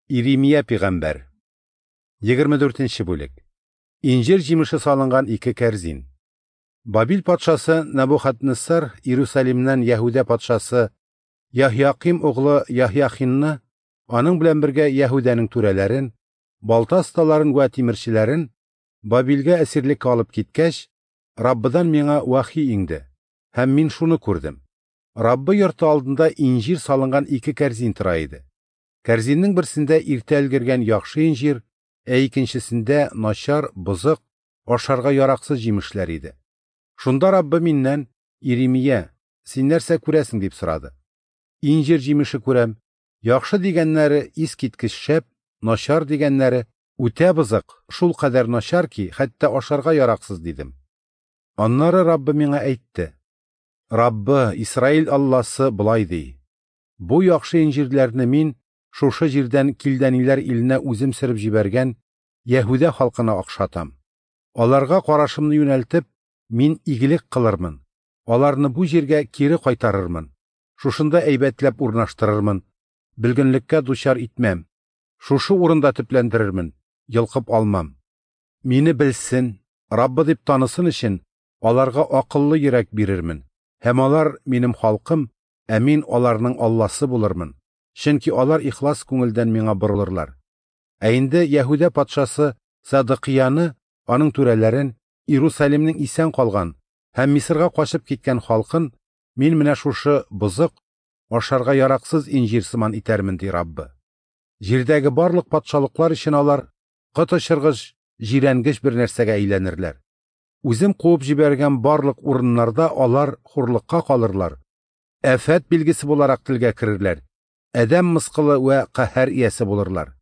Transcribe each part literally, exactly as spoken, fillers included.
Иремия пәйгамбәр. Егерме дүртенче бүлек. Инҗир җимеше салынган ике кәрзин. Бабил патшасы Набухаднессар Иерусалимнән Яһүдә патшасы Яһяким углы Яһяхинны, аның белән бергә Яһүдәнең түрәләрен, балта осталарын вә тимерчеләрен Бабилгә әсирлеккә алып киткәч, Раббыдан миңа вахи иңде, һәм мин шуны күрдем. Раббы йорты алдында инҗир салынган ике кәрзин тора иде. Кәрзиннең берсендә иртә өлгергән яхшы инҗир, ә икенчесендә начар, бозык, ашарга яраксыз җимешләр иде. Шунда Раббы миннән: "Иремия, син нәрсә күрәсең?" – дип сорады. "Инҗир җимеше күрәм. Яхшы дигәннәре искиткеч шәп, начар дигәннәре үтә бозык, шул кадәр начар ки, хәтта ашарга яраксыз", – дидем. Аннары Раббы миңа әйтте: "Раббы, Исраил Алласы болай ди: Бу яхшы инҗирләрне мин шушы җирдән килдәниләр иленә үзем сөреп җибәргән Яһүдә халкына охшатам. Аларга карашымны юнәлтеп, мин игелек кылырмын. Аларны бу җиргә кире кайтарырмын. Шушында әйбәтләп урнаштырырмын. Бөлгенлеккә дучар итмәм. Шушы урында төпләндерермен, йолкып алмам. Мине белсен, Раббы дип танысын өчен аларга акыллы йөрәк бирермен. Һәм алар минем халкым, ә мин аларның Алласы булырмын. Чөнки алар ихлас күңелдән миңа борылырлар. Ә инде Яһүдә патшасы Садыкияны, аның түрәләрен, Иерусалимнең исән калган һәм Мисырга качып киткән халкын мин менә шушы бозык, ашарга яраксыз инҗир сыман итәрмен, ди Раббы. Җирдәге барлык патшалыклар өчен алар коточыргыч, җирәнгеч бер нәрсәгә әйләнерләр. Үзем куып җибәргән барлык урыннарда алар хурлыкка калырлар, афәт билгесе буларак телгә керерләр, адәм мыскылы вә каһәр иясе булырлар.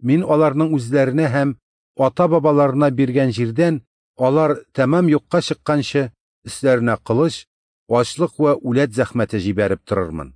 Мин аларның үзләренә һәм ата-бабаларына биргән җирдән алар тәмам юкка чыкканчы өсләренә кылыч, ачлык вә үләт зәхмәте җибәреп торырмын".